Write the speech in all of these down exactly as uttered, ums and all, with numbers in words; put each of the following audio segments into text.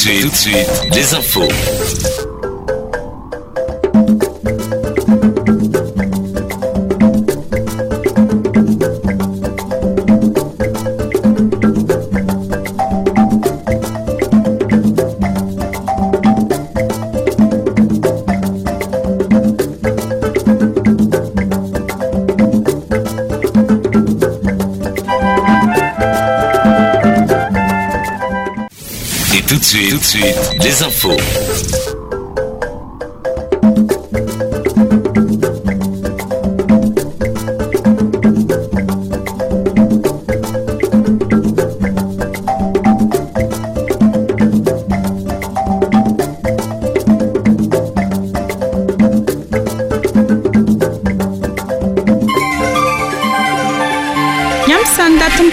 suite, tout de suite, les infos. Tout de suite, tout de suite, les infos.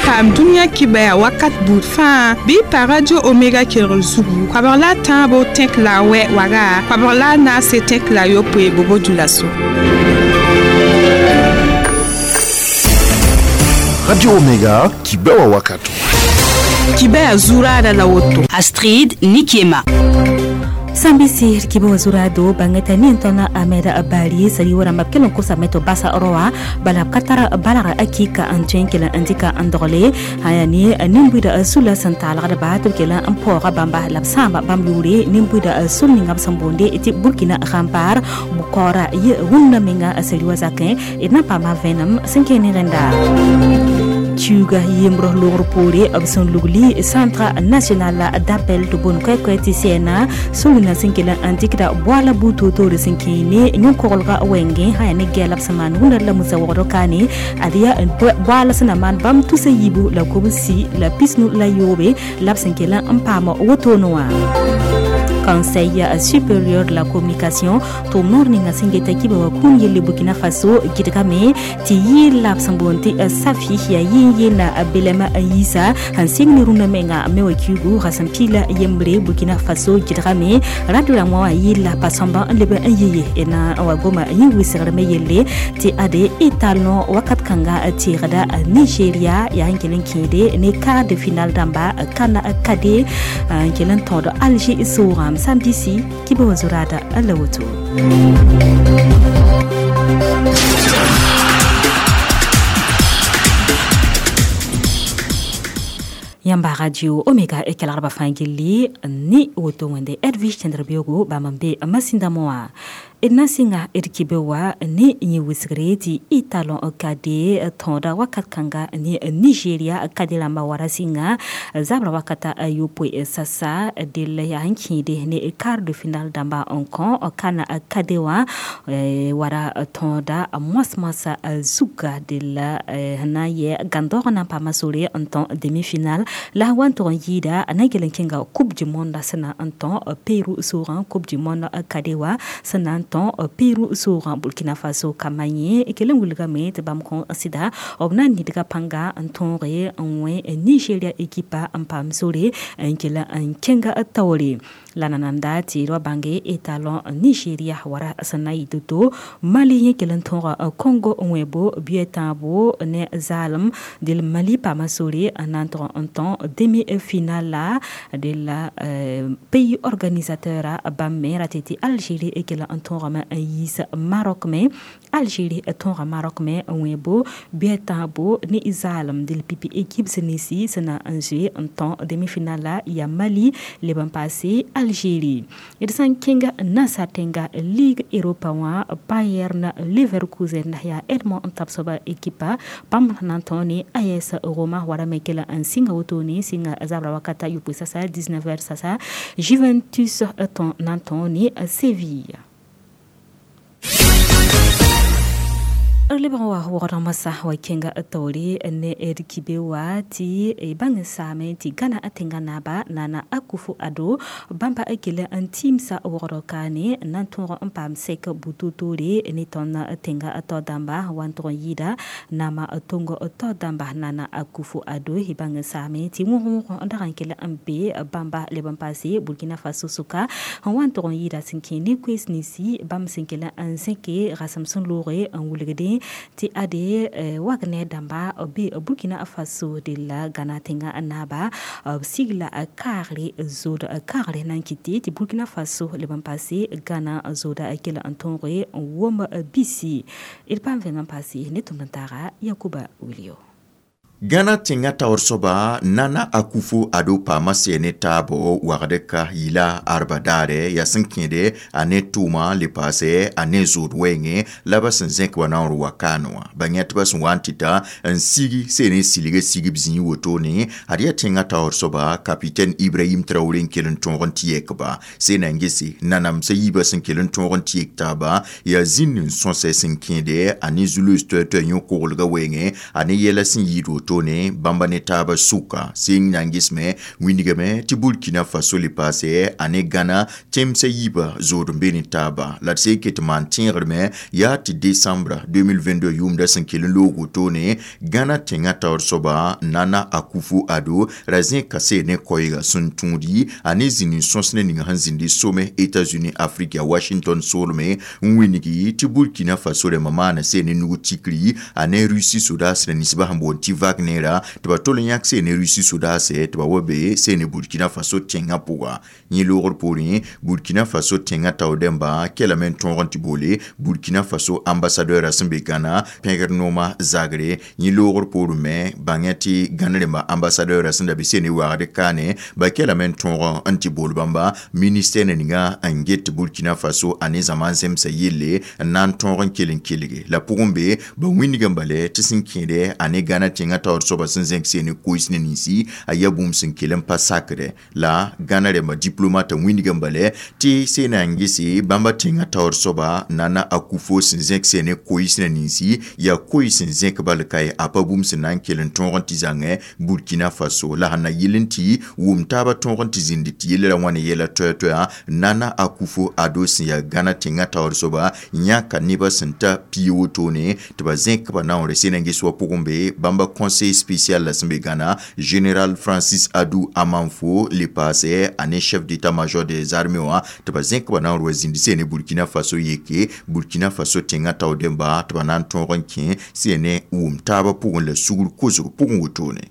Paam dũniyã kibaya wakat buud fãa bɩ pa Radio Omega kelgr zugu koabg la a tãabo tẽk la a wɛ waga koabg la a naase tẽk la a yopoe bobo dulaso. Radio Omega kibewa wakato. Kibaya zuraada la woto. Astrid Nikiema. Sambisi kibo zurado bangeta ni ntona ameda abali sali wara mapkelon kosa meto basa roa bala katara bala akika antwen kela andika andole haya ni nimbuida sula santal gada ba to kela ampora bamba lapsamba bamlure nimbuida sulni ngam sambonde eti Burkina Rampar bukora ye wunna menga sali wazakin ina pa ma venam sinkene renda Tuga yemro logr poore b sẽn lugli Centre national d'appel tɩ boond koɛ-koɛ tɩ sɛɛna sũurna sẽn kell n dɩkda boala buud toor-toore sẽn kẽe ne yõ-koglga wɛngẽ sã yaa ne gɛɛ la b sẽn maan wũnda la musa wogdo kaane ad yaa boala sẽn na maan bãmb tusa yiibu la kobsi la pisnu la yoobe la b sẽn kell n paam wotone wã. Conseil supérieur de la communication tʋʋm noor ninga sẽn geta kiba wa kũun yelle Burkina Faso gɩdgame tɩ yɩɩl la b sẽn boond tɩ safi yaa yɩɩn yeelna belɛma n yiisa sẽn sɩng ne rũnã menga me wa kiugu rasem piila yembre Burkina Faso gɩdgame radio rãmbã wã yɩɩl la pa sõmba n leb n yɩ na wa goma yẽ wɩsgr me yelle tɩ ade y talõ wakat kãnga teegda Nigeria yaa n kell n kẽede ne quart de finale dãmba kana kade n kell n tõod Alger soogã Sambisi kibo zurada alla woto. Yamba Radio Omega e kelgrba fãa gilli ne woto wẽnde Edwige Tẽdr-beoogo bãmb n be masĩndã wã d na sɩnga d kibe wa ne yẽ wɩsgre tɩ y talõ kade tõoda wakat kãnga ne Nigeria kade rãmbã wara sɩnga zabra wakata yopoe sasa del yaa n kẽede ne quart de finale dãmba n kõ kana kade wã wara tõoda moas-moasã zuga del sẽn na n yɛ gãndoog na n paama sore n tõ demi-finale la wa n tʋg n yɩɩda na n kell n kẽnga Coupe du monde sẽn na n tõ Peru soogã Coupe du monde kade wã sẽn na n tõ Peru soogã Burkina Faso kambã yẽ kell n wilgame tɩ bãmb kõ sɩda b na n nidga pãnga n tõoge n wẽ Nigeria ekipa n paam sore n kell n kẽnga taoore la nananda tɩ d wa bãnge talõ Nigeria wara sẽn na n yɩ to-to Mali yẽ kell n tõoga Congo n wẽbo bɩ tãabo ne zaalem del Mali paama sore n na n tʋg n tõ demi-finale la de la pays organisateur bãmb me ra tɩ tɩ Algérie kell n tõogame n yiis Maroc me Algérie tõoga Maroc me n wẽbo bɩ tãabo ne zaalem del pipi équipe sẽn ninsi sẽn na n zoe n tõ demi-finale la yaa Mali leb n paase Algérie d sã n kẽnga nasaar tẽnga Ligue Europa wã Bayern Leverkusen yaa Edmond n tab soaba ekipa bãmb na n tõo ne A S Roma wara me kell n sɩnga wotone sɩnga zabra wakata yopoe sasa dix-neuf heures sasa Juventus tõe na n tõo ne Seville. Lebg n wa wogd masã wa kẽnga taoore ne d kibe wa tɩ bãng n saame tɩ Gãna tẽngã naaba Nana Akufo-Addo bãmba kell n tiimsa wogd kaane n na n tõog n paam sɛk bu-toor-toore ne tõnd tẽngã tao dãmba wa n tʋg n yɩɩda naamã tong tao dãmba Nana Akufo-Addo y bãng n saame tɩ wõg-wõg n dag n kell n be bãmba leb n paase Burkina Faso sʋka n wa n tʋg n yɩɩda sẽn kẽ ne koees ninsi bãmb sẽn kell n zẽke rasem sẽn looge n wilgdẽ Tɩ ade Wagner dãmba b be Burkina Faso de la Ghana tẽngã naaba b sigla kaagre zood kaagre na n kɩte tɩ Burkina Faso leb n paase Ghana zooda kell n tõoge n wom bisi d paam vẽng n paase ne tʋmd n taaga Yakuba Wilio. Ghana tẽŋa taoor soaba Nana Akufo Addo paama sɛɛ ne taabo wagd ka yɩla arba daare yaa sẽn kẽede a ne tʋʋma le paasɛ a ne zood wɛɛngẽ la ba sẽn zẽk wa naoor wa kaane wã ba yẽtbã sẽn wa n tɩ ta n sigi see ne silga sigb zĩig wotone ad yaa tẽŋa taoor soaba capitaine Ibrahim Traoré n kell n tõog n tɩ yɛkba see na n gese nanamsã yiibã sẽn kell n tõog n tɩ yek taaba yaa zĩnd n sõsɛ sẽn kẽede a ne zu-loees toɛ-toɛ yõ-koglgã wɛɛngẽ a ne yɛla sẽn yɩɩd woto ne bãmba ne taaba sʋka seng na n gesme wĩndgame tɩ Burkina Faso le paasɛ a ne Ghana tẽmsã yiibã zood n be ne taaba la d see ket n maan tẽegrme yaa tɩ décembre deux mille vingt-deux yʋʋmda sẽn kell n loog wotone Ghana tẽŋa taoor soaba Nana Akufo Addo ra zẽka see ne koɛɛga sẽn tũudi a ne zĩnd n sõs ne ning sẽn zĩndi Sommet États-Unis Afrique ya Washington soolme n wĩngi tɩ Burkina Faso rãmbã maana see ne nug tikri a ne Russie sodaas rẽ ninsbã sẽn boond tɩ Wagner tɩ ba tol n yãk see ne Russie sodaasɛ tɩ ba wa be see ne Burkina Faso tẽngã pʋga yẽ loogr poorẽ Burkina Faso tẽngã tao dẽmba kelame n tõog n tɩ boole Burkina Faso ambassadeur sẽn be Ghana pẽgr nooma zagre yẽ loogr poorẽ me bãngẽ tɩ Gãn rẽmba ambassadeur sẽn da be see ne wagd kaane ba kelame n tõog n tɩ bool bãmba ministère ninga n get Burkina Faso a ne zãma n zemsa yelle n na n tõog n kell n kelge la pʋgẽ be ba wĩndg n bale tɩ sẽn kẽede a ne Ghana tẽngã taoor soaba sẽn zẽk see ne koees ne ninsi a yaa bũmb sẽn kell n pa sakdɛ la Ghana rẽmba diplomate wĩndg n bale tɩ see na n gese bãmba tẽngã taoor soaba Nana Akufo sẽn zẽk see ne koees ne ninsi yaa koees sẽn zẽk bal ka a pa bũmb sẽn na n kell n tõog n tɩ zãngẽ Burkina Faso la sẽn na yɩl n tɩ wʋm taabã tõog n tɩ zĩnd tɩ yell ra wãne yɛla toɛ-toɛa Nana Akufo Addo sẽn yaa Ghana tẽngã taoor soaba yãka nebã sẽn ta pii wotone tɩ ba zẽk ba naoore see na n ges wa pʋgẽ be bãmba conseil spécial la sẽn be Ghana général Francis Adu Amanfo le paasɛ a ne chef d'état-major des armées wã tɩ ba zẽk ba naoor wa zĩnd see ne Burkina Faso yeke Burkina Faso tẽngã tao dẽmba tɩ ba na n tõog n kẽ see ne wʋm taabã pʋgẽ la sugr kosg pʋgẽ wotone.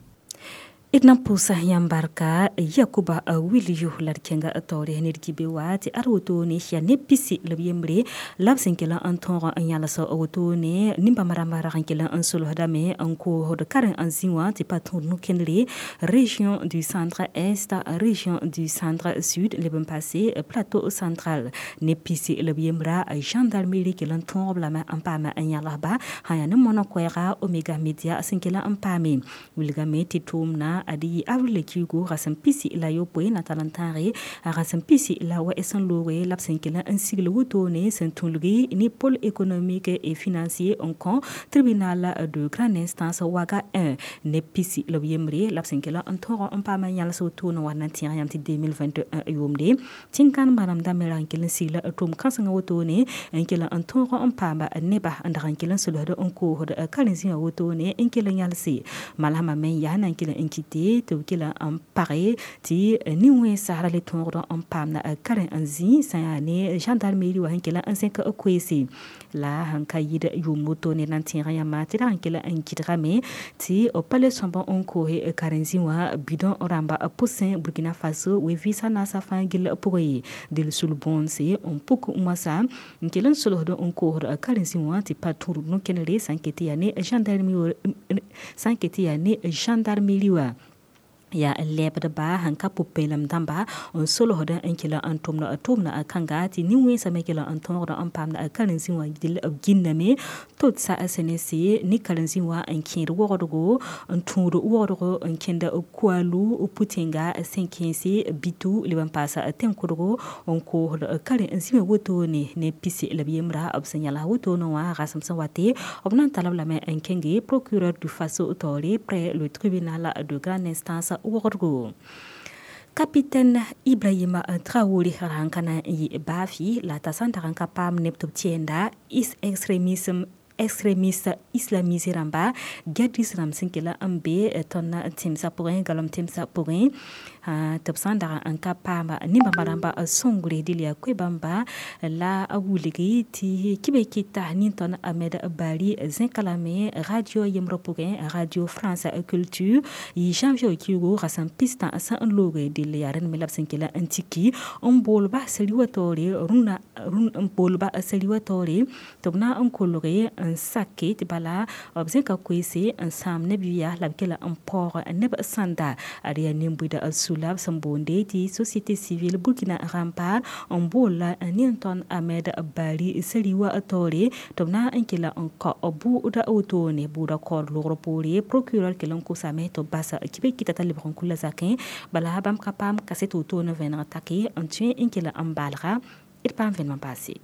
D na n pʋʋsa yãmb barka Yakuba Wilio la d kẽnga taoore ned kibe wa tɩ ad wotone yaa ne pisi la b yembre la b sẽn kell n tõog n yãls wotone nin-bãmb rãmbã rag n kell n solsdame n koosd karen n zĩ wã tɩ pa tõod no-kẽndre région du centre est, région du centre sud leb n paase plateau central ne pisi la b yembra gendarmerie kell n tõog b lame n paam n yãlsba sã yaa ne moanã koɛɛga Omega Media sẽn kell n paame wilgame tɩ tʋʋmna ad yɩ avril kiugu rasem pisi la yopoe na tall n tãage rasem pisi la wɛs n looge la b sẽn kell n sigl wotone sẽn tũlgi ne pôle économique et financier n kõ tribunal de grande instance Ouaga un ne pisi la b yembre la b sẽn kell n tõog n paam n yãls wotone wa na n tẽeg yãmb tɩ deux mille vingt et un yʋʋmde tẽn-kãn manemda me ra n kell n sigla tʋʋm kãsengã wotone n kell n tõog n paam neba n dag n kell n solsd n koosd karen-zĩwã wotone n kell n yãlse malsmã me n yaa na n kell n kɩte tɩ b kell n page tɩ nin-wẽnsa ra le tõogd n paamda karen n zĩ sã yaa ne gendarmerie wã sẽn kell n zẽk koeese la sẽn ka yɩɩd yʋʋm wotone na n tẽeg yãmba tɩ rag n kell n gɩdgame tɩ b pa le sõmb n koose karen-zĩ wã bidon rãmba pʋsẽ Burkina Faso we vɩɩsã naasã fãa gill pʋgẽ ye del sul bõonse n puk moasã n kell n solsd n koosd karen-zĩ wã tɩ pa tũud no-kẽnere sã n ket tɩ yaa ne gendarmerie sã n ket tɩ yaa ne gendarmerie wã yaa n lɛɛbdba sẽn ka pʋ-peelem dãmba n solsd n kell n tʋmd tʋʋmdã kãnga tɩ nin-wẽnsã me kell n tõogd n paamda karen-zĩ wã dɩl b gĩnname tot sa S N C ne karen-zĩ wã n kẽed wogdgo n tũud wogdgo n kẽnd Koualou Poutènga sẽn kẽese Bitou leb n paasa tẽn-kʋdgo n koosd karen-zĩ wã wotone ne pisi la b yembra b sẽn yãls wotone wã rasem sẽn wate b na n tall b lame n kẽnge procureur du Faso taoore près le tribunal de grande instance wogdgo. Capitaine Ibrahima Traoré ra n ka na n yɩ baafi la t'a sã n dag n ka paam neb tɩ b tẽenda is extrémisme extrémiste islamisé rãmba gadis rãmb sẽn kell n be tõnd tẽmsã pʋgẽ galem tẽmsã pʋgẽ. Tɩ b sã n dag n ka paama nin-bãmba rãmba sõngre dɩl yaa koe-bãmba la a wilgi tɩ kibe kɩta nin-tõnd Ahmed Bari zẽka lame radio yembrã pʋgẽ, Radio France Culture, yɩ janvier kiugu rasam pistã sẽn n looge. Dɩl yaa rẽnd me la b sẽn kela n tiki n boolba sari wã taoore rũnã, n boolba sari wã taoore tɩ b na n kolge n sake tɩ bala b zẽka koeese n sãam neb yʋya la b kela n paoog neb sãnda. Ad yaa nin-buida sula b sẽn boonde tɩ Société Civile Burkina Rempart n boolla nin-tõnd Ahmed Bari sari wã taoore tɩ b na n kela n kao bʋʋda wotone bʋʋda kaood loogr poore. Procureur kell n kosame tɩ b bas kibe kɩta t'a lebg n kula zakẽ, bala bãmb ka paam kaset wotone vẽneg take n tõe n kela n baalga d paam vẽnem n paase.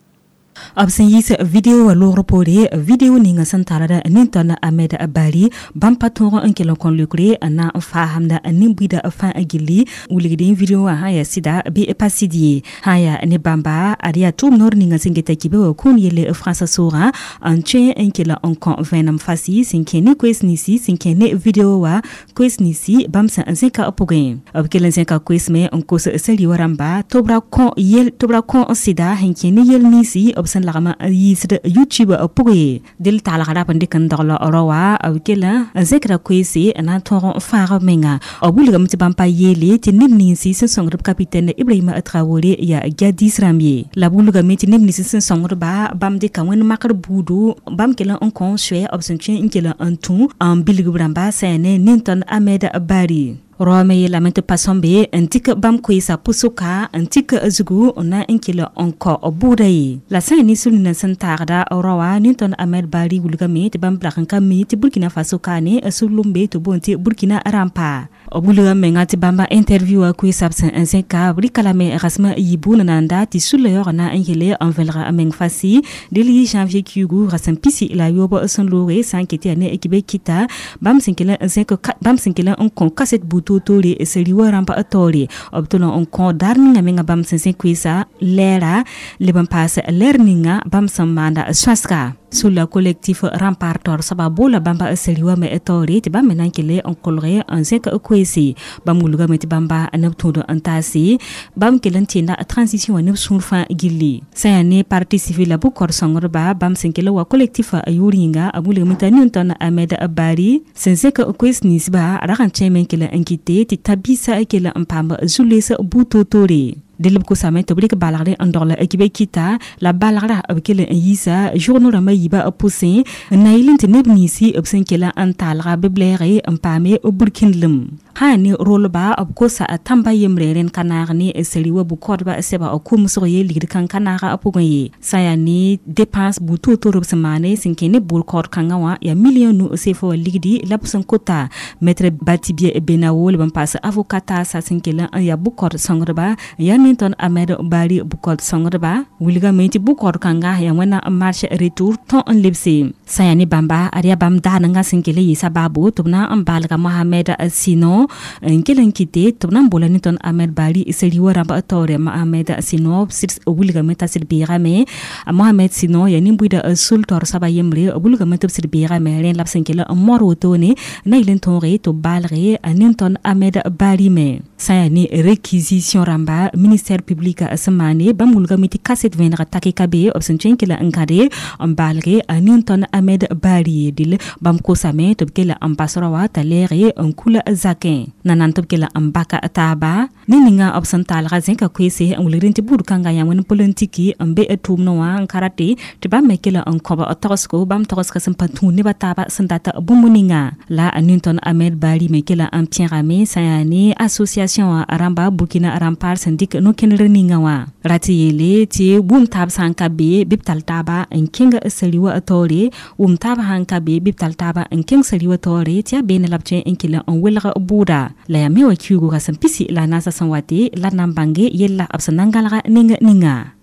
B sẽn yiis video wã loogr poore, video ninga sẽn tarda nin-tõnd Ahmed Bari, bãmb pa tõog n kell n kõ leokre n na n faasamda nin-buida fãa gilli. Wilgd video wã sã yaa sɩda bɩ pa sɩd ye. Sã n yaa ne bãmba, ad yaa tʋʋm noor ninga sẽn geta kibe wã kũun yelle frãnsã soogã n tõe n kell n kõ vẽenem fasi sẽn kẽ ne koees ninsi sẽn kẽ ne video wã, koees ninsi bãmb sẽn zẽka pʋgẽ. B kell n zẽka koees me n kos sari wã rãmba tɩ b ra kõ yel tɩ b ra kõ sɩda sẽn kẽ ne yel ninsi b sẽn lagm n yiisd YouTube pʋgẽ ye. Dɩl taalg rap n dɩk n dogl rao wã, b kell n zẽkra koeese n na n tõog n fãag b menga. B wilgame tɩ bãmb pa yeele tɩ neb ninsi sẽn sõngd b capitaine Ibrahima Traoré yaa djihadis rãmb ye, la b wilgame tɩ neb nins sẽn sõngdba bãmb dɩka wẽnd makr buudu, bãmb kell n kõ soɛ b sẽn tõe n kell n tũ n bilg b rãmba sã ne nin-tõnd Ahmed Bari. Raoã me yeelame tɩ pa sõmbe n dɩk bãmb koeesã pʋsʋka n tik zugu n na n kell n kao bʋʋda ye. La sã n ne sũ nina sẽn taagda raoã, nin-tõnd Ahmed Bari wilgame tɩ bãmb lag n ka mi tɩ Burkina Faso kaane sũ-lumbe tɩ boond tɩ Burkina Rempart. B wilga menga tɩ bãmba interview wã koeesã b sẽn n zẽka, b rɩka lame rasem yibu nananda tɩ sũla yaoog na n yele n vẽlga meng fasi. Dɩl yɩ janvier kiugu rasem pisi la yoob sẽn looge, sã n ket yaa ne kibe kɩta bãmb sẽn kell n zẽk bãmb sẽn kell n kõ kaset buud toore sari wã rãmba taoore. B tʋl n kõ daar ninga menga bãmb sẽn zẽ koeesã lɛɛra leb n paas lɛɛr ninga bãmb sẽn maanda sõasga. Sula collectif Rempart taoor soaba boola bãmba sari wã me taoore tɩ bãmb me na n kell n kolge n zẽk koeese. Bãmb wilgame tɩ bãmba neb tũud n taase, bãmb kell n tẽnda transition wã neb sũur fãa gilli. Sã yaa ne parti civil la bʋ-kaood sõngdba, bãmb sẽn kell wa collectif yʋʋr yĩnga, b wilgame t'a nin-tõnd Ahmed Bari sẽn zẽk koees ninsba rag n tõeme n kell n kɩte tɩ ta-biisã kell n paam zu-loees bu-toor-toore. Dɩl b kosame tɩ b rɩk balgre n dogl kibe kɩta la balgra b kell n yiisa journaux rãmbã yiibã pʋsẽ n na yɩl tɩ neb ninsi b sẽn kell n taalga bɩ blɛɛge n paame burkĩndlem. Sã ne rolba, b kosa tãmba yembre rẽnd ka naag ne sari wã bʋ-kaoodba sɛba kʋmsg ye ligd kãng ka naaga pʋgẽ ye. Sã yaa ne dépense bu toor-toor b sẽn maane sẽn kẽ ne bʋʋl kaood kãngã wã yaa million nu sefa wã ligdi la b sẽn kota. Maître Batibie Benawo leb n paas avocat taasa sẽn kell n yaa bʋ-kaood sõngdba yaa nin-tõnd Ahmed Bari bʋ-kaood sõngdba wilgame tɩ bʋ-kaood kãnga yaa wẽnna marche retour tõ n lebse. Sã yaa ne bãmba, ad yaa bãmb daanengã sẽn kell n yɩɩsa baabo tɩ b na n baalga Mohamed Sino n kell n kɩte tɩ b na n boola nin-tõnd Ahmed Bari sari wã rãmb taoore. Mohamed Sino wilgame t'a sɩd beegame. Mohamed Sino yaa nin-buida sul taoor soaba yembre, b wilgame tɩ b sɩd beegame rẽ la b sẽn kell n moor wotone na yɩl n tõoge tɩ b baalge nin-tõnd Ahmed Bari me. Sã yaa ne réquisition rãmba ministère public sẽn maane, bãmb wilgame tɩ kaset vẽeneg take ka be b sẽn tõe n kell n gãde n baalge nin-tõnd Ahmed Bari. Dɩl bãmb kosame tɩ b kell n bas rao wã t'a lɛɛge n kula zakẽ nanan tɩ b kell n baka taaba ne ninga b sẽn taalga zẽka koeese n wilgd tɩ buud kãngã yaa wẽnd politiki n be tʋʋmdẽ wã n ka rate tɩ bãmb me kell n kõb tagsgo bãmb tagsga sẽn pa tũud nebã taaba sẽn dat bũmb ninga. La nin-tõnd Ahmed Bari me kell n pẽgame sã yaa ne association rãmba Burkina Rempart sẽn dɩk no-kẽnder ninga wã rat yeele tɩ wʋm taab sã n ka be bɩ b tall taaba n kẽng sari wã taoore, wʋm taab sã n ka be bɩ b tall taaba n kẽng sari wã taoore tɩ yaa beene la b tõe n kell n welg bʋʋda. La yaa me wã kiugu rasem pisi la naasã sẽn wate la d na n bãnge yella b sẽn na n gãlga ning ninga.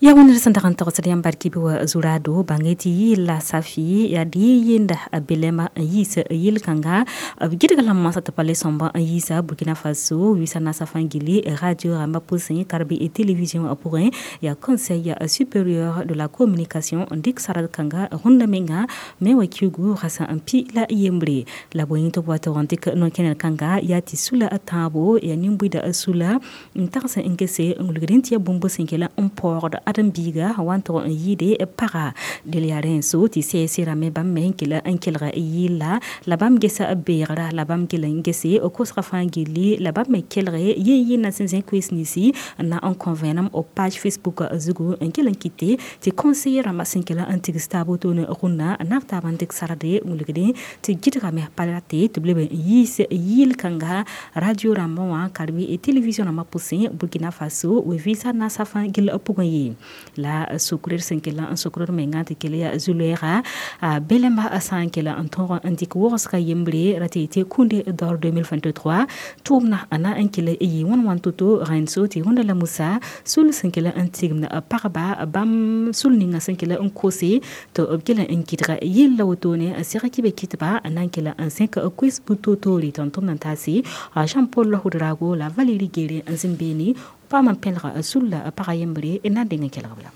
Ya wẽnd sẽn dag n togsd yãmb barkɩ bɩ wa zurado bãnge tɩ yɩɩla safi yaa d yenda belɛma n yiis yel-kãnga b gɩdg la moasã tɩ pa le sõmb n yiisa Burkina Faso wisa naasã fãa gilli radio rãmbã pʋsẽ karbi e télévision pʋgẽ yaa Conseil supérieur de la communication n dɩk sard kãnga rũndã menga me wa kiugu rasã n pi la yembre la bõe tɩ b wa tog n dɩk no-kẽner kãnga yaa tɩ sula a tãabo yaa nin-buida sula n tags n gese n wilgd n tɩ ya bũmb sẽn kela n paoogd ãdem-biiga wa n tog n yɩɩde paga del yaa rẽ so tɩ sɛɛsɩ rãmbe bãmb me n kell n kelg yɩlla la bãmb gesa beegra la bãmb kell n gese kosgã fãa gilli la bãmb me kelge yen-yẽnda sẽn zẽ koees ninsi n na n kõ vẽenem b page Facebook zugu n kell n kɩte tɩ conseiller rãmbã sẽn kell n tigs taab wotone rũnnã n na b taab n dɩk sarde n wilgdẽ tɩ gɩdgame pa rate tɩ b leb n yiis yɩl-kãnga radio rãmbã wã karbi e télévision rãmbã pʋsẽ Burkina Faso we-vɩɩsã naasã fãa gill pʋgẽ ye la sokr sẽn kell n sokr menga tɩ kell yaa zu-loɛɛga a belẽmba sã n kell n tõog n dɩk wogsga yembre ra tɩ tɩ Kunde d'or deux mille vingt-trois tʋʋmna a na n kell yɩ wãn wãn to-to rẽnd so tɩ rũndã la Musa sul sẽn kell n tigimd pagba bãmb sul ninga sẽn kell n kose tɩ b kell n gɩdga yella wotone n seg kɩ be kɩtba n na n kell n zẽk koes bu-toor-toore tɩ n tʋmd n taase Jean Paul Ouedraogo la Valérie Guéré n zĩnd beene paam n pẽlga sulla pagã yembre n na n deng n kelg b la.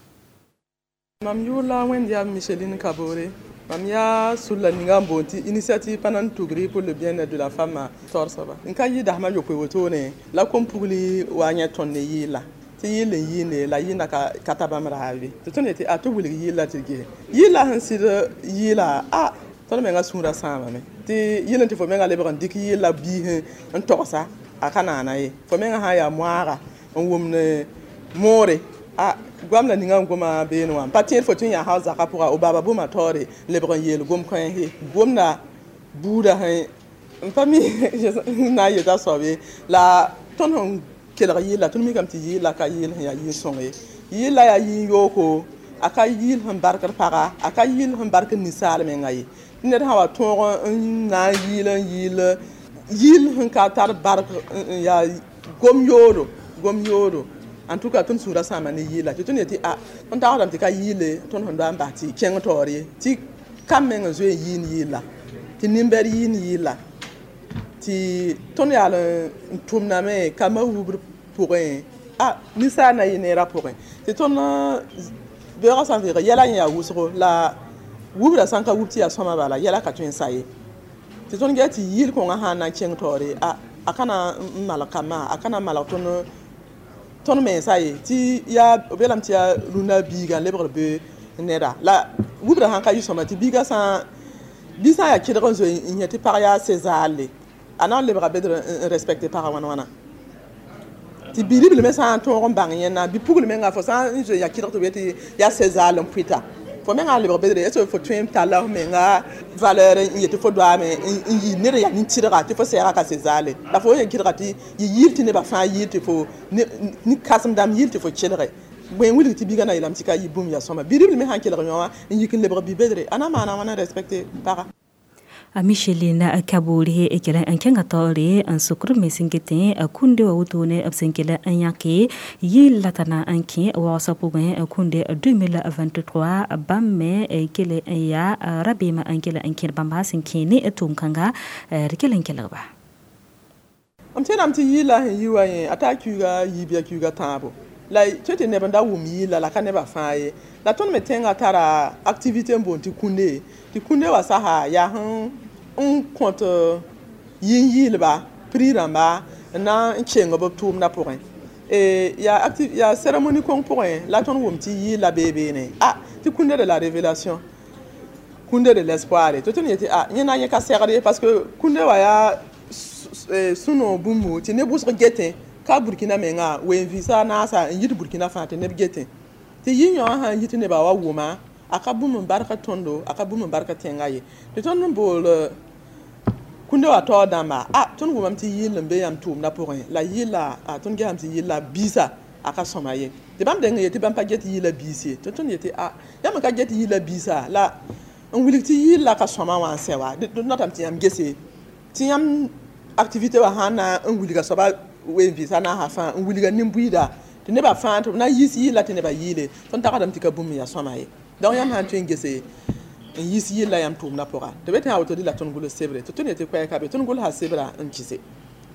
Mam yʋʋr la Wẽnd yaa Micheline Kabore. Mam yaa sulla ninga n boond tɩ Initiative Panan Tugri pour le bien-être de la femme taoor soaba n ka yɩ dasmã yopoe wotone la kom-pugli wa yẽ tõnd ne yɩɩla tɩ yɩɩl n yɩɩne la yɩɩna ka, ka ta bãmb raabe tɩ tõnd yetɩ a tɩ wilg yɩɩla tɩ ges yɩɩla sẽn sɩd yɩɩla a tõnd menga sũurã sãamame tɩ yɩl n tɩ fo menga lebg n dɩk yɩɩla biis n togsa a ka naana ye fo menga sã n yaa moaaga n wʋmd moore a goamda ninga n goma beene wã pa tẽed fo tɩ n yaa hal zakã pʋga o baaba bũmã taoore lebg n yeel gom kãense gomda buudã sẽn n pa mi n na n yeta soab ye la tõnd sẽn kelg yɩlla tõnd mikame tɩ yɩɩla ka yɩɩl sẽn yaa yɩɩl-sõng ye yɩɩla yaa yɩɩl yooko a ka yɩɩl sẽn barkd paga a ka yɩɩl sẽn barkd ninsaal menga ye tɩ ned sã wa tõog n na n yɩɩl n yɩɩl yɩɩl sẽn ka tar bark n yaa gom yoodo gom yoodo. En tout cas, tõnd sũurã sãama ne yɩɩla tɩ tõnd yetɩ a tõnd tagsdame tɩ ka yɩɩle tõnd sẽn doa n bas tɩ kẽng taoor ye tɩ kam meng n zoe n yɩɩnd yɩɩla tɩ nin-bɛd yɩɩnd yɩɩla tɩ tõnd yaal n tʋmdame kambã wubr pʋgẽ a ninsaal na yɩ neerã pʋgẽ tɩ tõnd beoogã sã n veeg yɛla yẽ yaa wʋsgo la wubra sã n ka wub tɩ yaa sõma bala yɛla ka tõe n sa ye tɩ tõnd gɛ tɩ yɩɩl kõngã sã n na n kẽng taoore a a ka na n malg kambã a ka na n malg tõnd tõnd mensa ye tɩ yaa b yeelame tɩ yaa rũndã biiga n lebgd be neda la wubra sãn ka yɩ sõma tɩ biiga sã bi sã n yaa kɩdg n zoe n yẽ tɩ pag yaa sezaale a na n lebga bedr n respecte pagã wãn wãna tɩ bi-ribl me sã n tõog n bãng yẽnna bi-pugl menga fo sã n zoe yaa kɩdg tɩ b yetɩ yaa sezaal n pʋɩta fo menga n lebg bedre est ce fo tõe n talla f menga valeur n yetɩ fo doaame n yɩ ned yaa nin-tɩrga tɩ fo sɛɛga ka sezaale la fo yen kɩdga tɩ yɩ yɩɩl tɩ nebã fãa yɩɩl tɩ fo nin-kãsem dãmb yɩɩl tɩ fo kelge bõe n wilg tɩ biigã na yeelame tɩ ka yɩ bũmb yaa sõma bi-ribl me sãn kelg yõ wã n yik n lebg bi-bedre a na maana wãna respecte paga. A Micheline Kabore e kela n kẽnga taoore n sokr me sẽn getẽ kũnde wa wotone b sẽn kell n yãke yɩɩl la t'a na n kẽ waoosã pʋgẽ Kũnde deux mille vingt-trois bãmb me kell n yaa rabeemã n kell n kẽd bãmba sẽn kẽ ne tʋʋm-kãnga d kell n kelgba. M tẽedame tɩ yɩɩla sẽn yi wa yẽ a taa kiuga yiib kiuga tãabo la tõe tɩ neb n da wʋm yɩɩla la ka nebã fãa ye la tõnd me tẽngã tara activité n boond tɩ kũnde tɩ kũnde wa sasa yaa sẽn n kõt yĩn-yɩɩlba prix rãmba n na n keng b tʋʋmdã pʋgẽ yaa yaa cérémonie kõng pʋgẽ la tõnd wʋm tɩ yɩɩla bee beene a tɩ Kũnde de la révélation, Kũnde de l'espoir tɩ tõnd yetɩ a yẽ na yẽ ka segd ye parce que kũnde wa yaa sũ-noog bũmbu tɩ neb wʋsg getẽ ka Burkina menga wen vɩɩsa naasa n yit Burkina fãa tɩ neb getẽ tɩ yɩ yõ sãn yit nebã wa wʋma a ka bũmb n barka tõndo a ka bũmb n barka tẽngã ye tɩ tõnd n bool kũnde wa taoor dãmba a tõnd wʋmame tɩ yɩɩl n be yãmb tʋʋmdã pʋgẽ la yɩɩla a tõnd gesame tɩ yɩɩla biisa a ka sõma ye tɩ bãmb deng n yetɩ bãmb pa get yɩɩla biis ye tɩ tõnd yetɩ a yãmb n ka get yɩɩla biisa la n wilg tɩ yɩɩla ka sõma wã n sɛ wa d notame tɩ yãmb gese tɩ yãmb activité wã sãn na n wilga soaba wen vɩɩsa naasã fãa n wilga nin-buiida tɩ Tɩ nebã fãa tɩ b na n yiis yɩɩla tɩ nebã yɩɩle tõnd tagsdame tɩ ka bũmb n yaa sõama ye. Donc yãmb sã n tõe n gese n yiis yɩlla yãmb tʋʋmdã pʋga tɩ be tɩ a woto la tõnd gʋls sebre tɩ tõnd yetɩ koɛɛka be tõnd gʋlsa sebra n kɩse.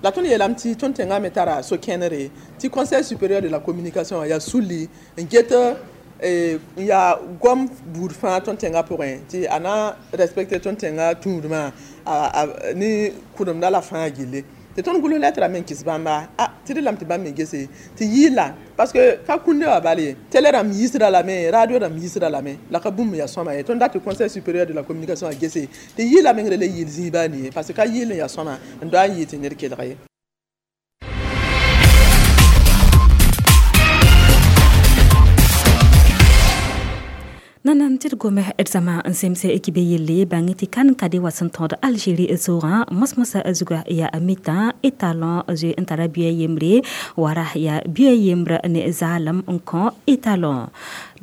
La tõnd yeelame tɩ tõnd tẽngã me tara so-kẽnere tɩ Conseil supérieur de la communication yaa sulli n get n yaa goam buud fãa tõnd tẽngã pʋgẽ tɩ a na respecte tõnd tẽngã tũudmã ne kʋdemda la fãa gilli. Tɩ tõnd gʋls lɛtra me n kɩs bãmba a tɩ d lame tɩ bãmb me gese tɩ yɩɩla parce que ka kũnde wã bal ye, télé rãmb yiisda lame, radio rãmb yiisda lame, la ka bũmb yaa sõma ye. Tõnd dat tɩ Conseil supérieur de la communication a gese tɩ yɩɩla meng le yɩɩl zĩiba nie parce que ka yɩɩl n yaa sõma n doa n yɩɩ tɩ ned kelg ye. Nanan tɩ d gome d zãma n semse kibe yelle bãng tɩ kan ka de wa sẽn tõod Algérie soogã mos-mosã zuga yaa mitã étalon zoe n tara bia yembre wara yaa bia yembr ne zaalem n kõ étalon.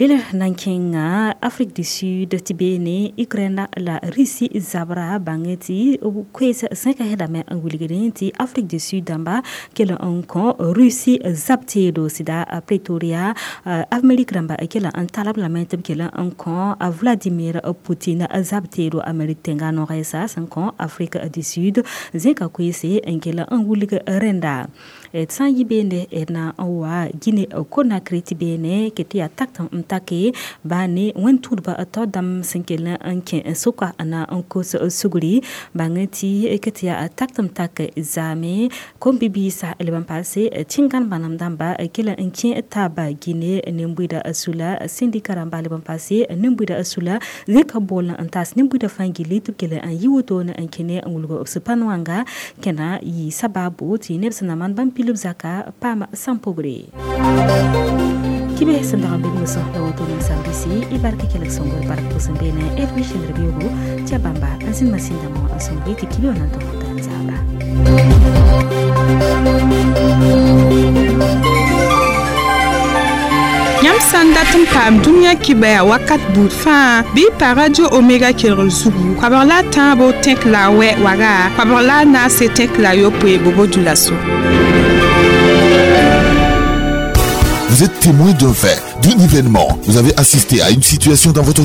Del nan kẽnga Afrique du Sud tɩ beene Ukraine la Russie zabra bãng tɩ koees sẽka sẽdame n wilgdẽ tɩ Afrique du Sud dãmba kell n kõ Russie zab teedo sɩda Pretoria. Amérique rãmba kell n talb lame tɩ b kell n kõ Vladimir Poutine zab teedo Amérique tẽnga noogɛɛsa sẽn kõ Afrique du Sud zẽka koeese n kell n wilg rẽnda. D sã n yɩ beene d na n wa Guinée Conakry tɩ beene ket tɩ yaa tak n take baa ne wẽn-tũudbã tao dãmb sẽn kell n kẽ soka na n kos sugri bãng tɩ ket tɩ yaa tak tɩ m tak zaame kom-bibiisã leb n paase tẽngãn bãnem dãmba kell n kẽ taaba Guinée nen-buida sula sĩndika rãmba leb n paase nen-buida sula zẽka bool n taas nen-buida fãa gilli tɩ b kell n yɩ wotone n kẽne n wilg b sẽpan wãnga kẽna yɩ sabaabo tɩ neb sẽn na maan bãmb pilb zaka paam sãn-pogre. Kibe sẽn dag n be mosã la woto ninsaam-biisi y bark kelg sõngr bark pʋsẽ beene d wɩsẽndr beoogo tɩ ya bãmba n zĩnd masĩndame wã n sõng tɩ kibe wã na n tog n zabra. Yãmb sã n dat n paam dũniyã kibɛa wakat buud fãa bɩ y pa Radio Omega kelgr zugu koabg la a tãabo tẽk la a wɛ waga koabg la a naase tẽk la a yopoe bobo dulaso. Vous êtes témoin d'un fait, d'un événement. Vous avez assisté à une situation dans votre